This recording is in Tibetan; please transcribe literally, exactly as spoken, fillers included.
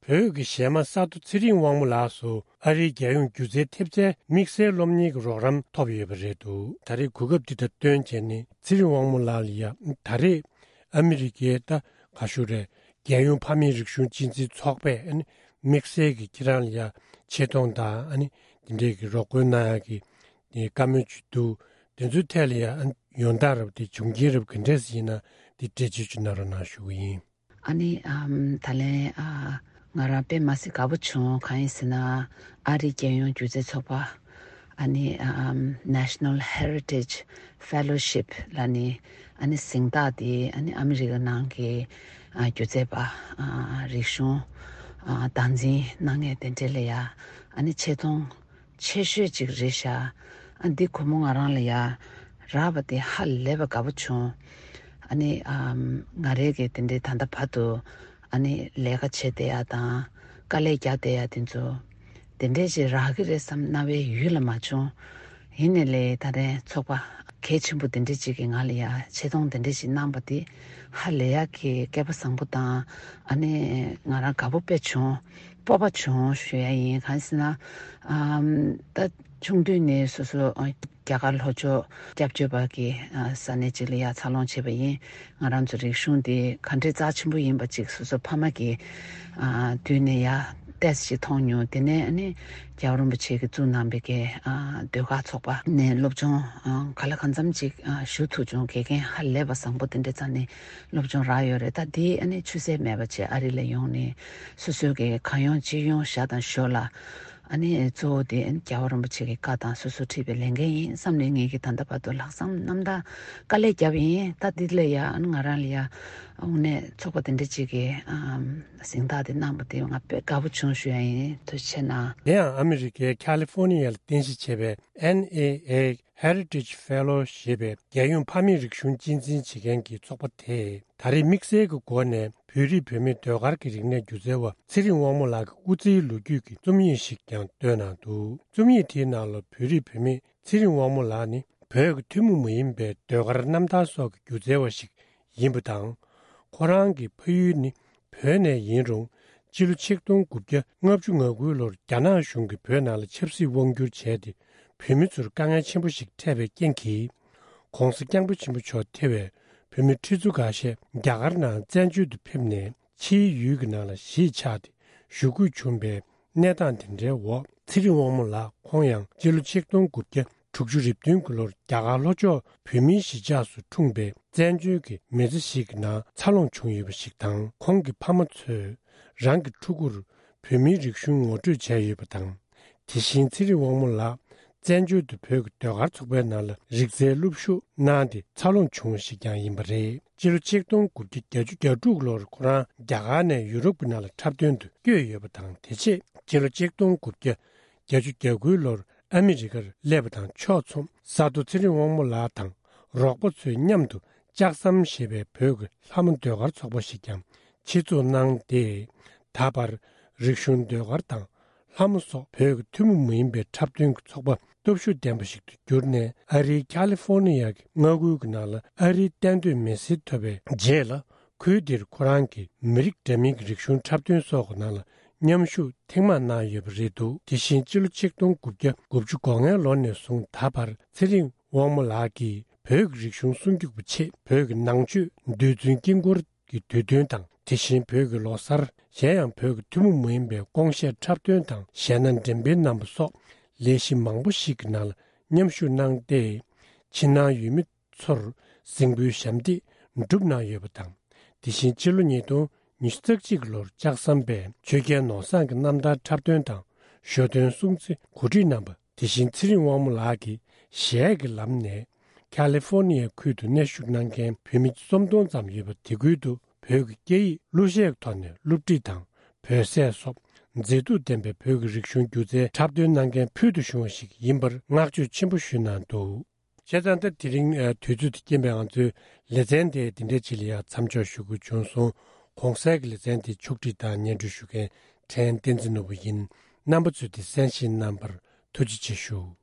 བོད་ཀྱི་གཞས་མ་ས་རྡོ་ཚེ་རིང་དབང་མོ་ལགས་སུ་ཨ་རིའི་རྒྱལ་ཡོངས་སྒྱུ་རྩལ་ཐེབས་རྩའི་དམིགས་བསལ་སློབ་གཉེར་གྱི་རོགས་རམ་ཐོབ་ཡོད་པ་རེད་འདུག་ད་རེས་གོ་སྐབས་འདི་དང་བསྟུན་བྱས་ནས་ཚེ་རིང་དབང་མོ་ལགས་ལ་ཡ་ད་རེས་ཨ་མི་རི་ཀའི་ད་ག་ཞུ་རེད། རྒྱལ་ཡོངས་ཕ་མེས་རིག་གཞུང་གཅེས་འཛིན་ཚོགས་པས་ཨ་ནི་དམིགས་བསལ་གྱི་ཁྱེད་རང་ལ་ཡ་ཆེ་མཐོང་དང་ཨ་ནི་འདི་འདྲའི་གི་རོགས་སྐྱོར་གནང་ཡག་གི་དེ་བཀའ་མོལ་ཅིག་འདུག་དེ་ཚོའི་ཐད་ལ་ཡང་ཡོང་སྟངས་རབ་དེ་བྱུང་རྐྱེན་རབ་ག་འདྲས་ཡིན་ན་དེ་འགྲེལ་བརྗོད་ཅིག་གནང་རོགས་གནང་ཞུ་གི་ཡིན། ཨ་ནི་ཨམ་ད་ལན་ཨ་ང་རང་དཔེ་མ་སྲིད་དགའ་པོ་བྱུང་། གང་ཡིན་ཟེར་ན་ཨ་རིའི་རྒྱལ་ཡོངས་སྒྱུ་རྩལ་ཚོགས་པ་ཨ་ནི་ཨམ་National Heritage Fellowship ལ་ནི་ཨ་ནི་གཟེངས་རྟགས་དེ་ཨ་ནི་ཨ་མི་རི་ཀ་ནང་གི་ཨ་སྒྱུ་རྩལ་པ་ཨ་རིག་གཞུང་ཨ་སྟངས་འཛིན་གནང་མཁན་དེ་འདྲས་ལ་ཡ་ཨ་ནི་ཆེ་མཐོང་ཆེ་ཤོས་ཅིག་རེད་ཤག་ཨ་འདི་སྒོར་མོ་ང་རང་ལ་ཡ་རག་པ་དེ་ཧ་ལས་པ་དགའ་པོ་བྱུང་། ཨ་ནི་ཨམ་ང་རའི་གི་དེ་འདྲའི་ད་ལྟ་བར་དུ་ཨ་ནི་ལས་ཀ་བྱེད་བསྡད་ཡ་དང་དཀའ་ལས་རྒྱག་བསྡད་ཡ་དེ་ཚོ་དེ་འདྲས་ཅིག་རག་གི་རེད་བསམ་རྣ་བའི་ཡུལ་ལ་མ་བྱུང་། ཡིན་ནའི་ལས་ད་ལན་ཚོགས་པ་གལ་ཆེན་པོ་དེ་འདྲས་ཅིག་གིས་ང་ལ་ཡ་ཆེ་མཐོང་དེ་འདྲས་ཅིག་གནང་པ་དེ་ཧ་ལས་ཡ་གི་སྐལ་པ་བཟང་པོ་དང་ཨ་ནི་ང་རང་དགའ་པོ་དཔེ་བྱུང་། སྤོབས་པ་བྱུང་ཞུ་ཡ་ཡིན། གང་ཟེར་ན་ཨམ་ད་ཆུང་དུས་ནས་སོ་སོ་ཨ་རྒྱ་གར་ལྷོ་ཕྱོགས་སྐྱབས་བཅོལ་བ་གི་ཨ་ས་གནས་ཅིག་ལ་ཡ་འཚར་ལོངས་བྱས་པ་ཡིན། ང་རང་ཚོ་རིག་གཞུང་འདི་ག་འདྲའི་རྩ་ཆེན་པོ་ཡིན་པ་ཅིག་སོ་སོ་ཕ་མ་གི་ཨ་དུས་ནས་ཡ་ཏོག་ཙམ་ཅིག་མཐོང་མྱོང་། དེ་ནས་ཨ་ནི་རྒྱལ་བ་རིན་པོ་ཆེ་གིས་བཙུགས་གནང་པའི་གི་ཨ་ཟློས་གར་ཚོགས་པ་ནས་སློབ་སྦྱོང་ཨ་ག་ལ་གང་འཚམ་ཅིག་ཨ་ཞུ་ཐུབ་བྱུང་། དགེ་རྒན་ཧ་ལས་པ་བཟང་པོ་དེ་འདྲའི་རྩ་ནས་སློབ་སྦྱོང་རག་ཡོད་རེད། ད་འདི་ཨ་ནི་ཆུད་ཟད་མེད་པ་བྱས་ཨ་རི་ལ་ཡོང་ནས་སོ་སོའི་གི་གང་ཡོང་ཅི་ཡོང་བཞག་དང་ཞོར་ལ་ཨ་ནི་གཙོ་བོ་དེ་ཨ་ནི་རྒྱལ་བ་རིན་པོ་ཆེ་གི་བཀའ་དང་སོ་སོ་ཁྲིད་པའི་ལས་འགན་ཡིན་བསམ་ནས་ངེད་ཀྱིས་ད་ལྟ་བར་དུ་ལྷག་བསམ་རྣམ་དག་དཀའ་ལས་བརྒྱབ་ཡིན། ད་འདི་ལ་ཡ་ཨ་ནི་ང་རང་ལ་ཡ་དངོས་གནས་ཚོགས་པ་དེ་འདྲ་ཅིག་གིས་ཨམ་གཟེངས་རྟགས་དེ་གནང་པ་དེ་ང་དཔེ་དགའ་པོ་བྱུང་ཞུ་ཡ་ཡིན། ཐུགས་རྗེ་ཆེ་གནང་། དེ་ཡང་ཨ་མི་རི་ཀའི་ཁ་ལི་ཧྥོ་ནི་ཡ་ལ་རྟེན་གཞི་བྱས་པའི་ཨེན་ཨེ་ཨེ་Heritage Fellow ཞེས་པའི་རྒྱལ་ཡོངས་ཕ་མེས་རིག་གཞུང་གཅེས་འཛིན་བྱེད་མཁན་གྱི་ཚོགས་པ་དེས་ད་རེས་དམིགས་བསལ་གྱི་སྒོ་ནས་བོད་རིགས་བུད་མེད་ཟློས་གར་གྱི་རིག་གནས་སྒྱུ་རྩལ་བ་ཚེ་རིང་དབང་མོ་ལགས་ཀྱི་སྐུ་ཚེའི་ལོ་རྒྱུས་ཀྱི་རྩོམ་ཡིག་ཞིག་ཀྱང་བཏོན་གནང་འདུག་རྩོམ་ཡིག་དེའི་ནང་ལ་བོད་རིགས་བུད་མེད་ཚེ་རིང་དབང་མོ་ལགས་ནི་བོད་ཀྱི་ཐུན་མོང་མ་ཡིན་པའི་ཟློས་གར་རྣམ་ཐར་སོགས་ཀྱི་སྒྱུ་རྩལ་བ་ཞིག་ཡིན་པ་དང་། ཁོ་རང་གི་ཕ་ཡུལ་ནི་བོད་ནས་ཡིན་རུང་སྤྱི་ལོ་ཆིག་སྟོང་དགུ་བརྒྱ་ལྔ་བཅུ་ང་དགུ་ལོར་རྒྱ་ནག་གཞུང་གིས་བོད་ནང་ལ་ཆབ་སྲིད་དབང་བསྒྱུར་བྱས་ཏེ་བོད་མི་ཚོར་དཀའ་ངལ་ཆེན་པོ་ཞིག་འཕྲད་པའི་རྐྱེན་གྱིས། ྋགོང་ས་ྋསྐྱབས་མགོན་ཆེན་པོ་མཆོག་ཐེ་བའི་བོད་མི་ཁྲི་ཚོ་འགའ་ཤས་རྒྱ་གར་ནང་བཙན་བྱོལ་དུ་ཕེབས་ནས་ཕྱིའི་ཡུལ་གྱི་ནང་ལ་གཞིས་ཆགས་ཏེ་བཞུགས་དགོས་བྱུང་བའི་གནས་སྟངས་དེ་འདྲའི་འོག་ཚེ་རིང་དབང་མོ་ལགས་ཁོང་ཡང་སྤྱི་ལོ་ཆིག་སྟོང་དགུ་བརྒྱ་དྲུག་ཅུ་རེ་བདུན་གྱི་ལོར་རྒྱ་གར་ལྷོ་ཕྱོགས་བོད་མིའི་གཞིས་ཆགས་སུ་འཁྲུངས་པའི་བཙན་བྱོལ་གྱི་མི་ཚེ་ཞིག་གི་ནང་འཚར་ལོངས་བྱུང་ཡོད་པ་ཞིག་དང་། ཁོང་གི་ཕ་མ་ཚོས་རང་གི་ཕྲུ་གུར་བོད་མིའི་རིག་གཞུང་ངོ་སྤྲོད་བྱས་ཡོད་པ་དང་། དེ་བཞིན་ཚེ་རིང་དབང་མོ་ལགས་བཙན་བྱོལ་དུ་བོད་ཀྱི་ཟློས་གར་ཚོགས་པའི་ནང་ལ་རིག་རྩལ་སློབ་ཞུགས་གནང་སྟེ་འཚར་ལོངས་བྱུང་བ་ཞིག་ཀྱང་ཡིན་པ་རེད། སྤྱི་ལོ་ཆིག་སྟོང་དགུ་བརྒྱ་བརྒྱད་ཅུ་གྱ་དྲུག་ལོར་ཁོ་རང་རྒྱ་གར་ནས་ཡུ་རོབ་ཀྱི་ནང་ལ་འཁྲབ་སྟོན་དུ་བསྐྱོད་ཡོད་པ་དང་། དེ་རྗེས་སྤྱི་ལོ་ཆིག་སྟོང་དགུ་བརྒྱ་བརྒྱད་ཅུ་གྱ་དགུ་ལོར་ཨ་མི་རི་ཀར་སླེབས་པ་དང་ཕྱོགས་མཚུངས་ས་རྡོ་ཚེ་རིང་དབང་མོ་ལགས་དང་རོགས་པ་ཚོའི་མཉམ་དུ་ལྕགས་ཟམ་ཞེས་པའི་བོད་ཀྱི་ལྷ་མོ་ཟློས་གར་ཚོགས་པ་ཞིག་ཀྱང་ཆེད་འཛུགས་གནང་སྟེ། ད་བར་རིག་གཞུང་ཟློས་གར་དང་ལྷ་མོ་སོགས་བོད་ཀྱི་ཐུན་མོང་མ་ཡིན་པའི་འཁྲབ་སྟོན་གྱི་ཚོགས་པ་སྟོབས་ཤུགས་ལྡན་པ་ཞིག་ཏུ་གྱུར་ནས། ཨ་རིའི་ཁ་ལི་ཧྥོ་ནི་ཡ་གི་མངའ་ཁུལ་གྱི་ནང་ལ་ཨ་རིའི་གཏན་སྡོད་མི་སེར་ཐོབ་པའི་རྗེས་ལ། ཁུལ་འདིར་ཁོ་རང་གིས་མི་རིགས་འདྲ་མིན་གྱི་རིག་གཞུང་འཁྲབ་སྟོན་སོགས་ཀྱི་ནང་ལ་མཉམ་ཞུགས་ཐེངས་མང་གནང་ཡོད་པ་རེད་འདུག་དེ་བཞིན་སྤྱི་ལོ་ཆིག་སྟོང་དགུ་བརྒྱ་དགུ་བཅུ་གོ་ལྔའི་ལོ་ནས་བཟུང་ད་བར་ཚེ་རིང་དབང་མོ་ལགས་ཀྱིས་བོད་ཀྱི་རིག་གཞུང་སྲུང་སྐྱོབ་ཀྱི་ཆེད་བོད་ཀྱི་ནང་ཆོས་རྡུལ་ཚོན་དཀྱིལ་འཁོར་གྱི་དུས་སྟོན་དང་། དེ་བཞིན་བོད་ཀྱི་ལོ་གསར། གཞན་ཡང་བོད་ཀྱི་ཐུན་མོང་མ་ཡིན་པའི་ཀོང་གཞས་འཁྲབ་སྟོན་དང་གཞས་སྣ་འགྲེམས་སྤེལ་གནང་པ་སོགས་ལས་གཞི་མང་པོ་ཞིག་གི་ནང་ལ་མཉམ་ཞུགས་གནང་སྟེ། ཕྱི་ནང་ཡུལ་མི་ཚོར་གཟིགས་འབུལ་ཞབས་འདེགས་བསྒྲུབས་གནང་ཡོད་པ་དང་། དེ་བཞིན་ཕྱི་ལོ་ཉིས་སྟོང་ཉི་ཤུ་རྩ་གཅིག་ལོར་ལྕགས་ཟམ་པས་ཆོས་རྒྱལ་ནོར་བཟང་གི་རྣམ་ཐར་འཁྲབ་སྟོན་དང་ཞོ་སྟོན་སྲུང་བརྩི་གོ་སྒྲིག་གནང་པ། དེ་བཞིན་ཚེ་རིང་དབང་མོ་ལགས་ཀྱིས་གཞས་ཀྱི་ལམ་ནས་ཁ་ལི་ཧྥོ་ནི་ཡའི་ཁུལ་དུ་གནས་བཞུགས་གནང་མཁན་བོད་མི་སུམ་སྟོང་ཙམ་ཡོད་པ། དེ་ཁུལ་དུ་བོད་ཀྱི་སྐད་ཡིག་གླུ་གཞས་ཀྱི་ཐོག་ནས་སློབ་ཁྲིད་དང་བོད་ཟས་སོགས་མཛེས་སྡུག་ལྡན་པའི་བོད་ཀྱི་རིག་གཞུང་སྒྱུ་རྩལ་འཁྲབ་སྟོན་གནང་མཁན་ཕུལ་དུ་བྱུང་བ་ཞིག་ཡིན་པར་བསྔགས་བརྗོད་ཆེན་པོ་ཞུས་གནང་འདུག་བྱས་ཙང་ད་དེ་རིང་ཨ་དུས་ཚོད་དང་རྐྱེན་པས་ང་ཚོའི་ལེ་ཚན་དེ་འདི་འདྲའི་ཅིག་ལ་ཡང་མཚམས་འཇོག་ཞུ་དགོས་བྱུང་སོང་། གོང་གསལ་གྱི་ལེ་ཚན་དེ་ཕྱོགས་སྒྲིག་དང་སྙན་སྒྲོན་ཞུ་མཁན་ཕྲན་བསྟན་འཛིན་ནོར་བུ་ཡིན། རྣམ་པ་ཚོས་དེ་གསན་བཞེས་གནང་བར་ཐུགས་རྗེ་ཆེ་ཞུ།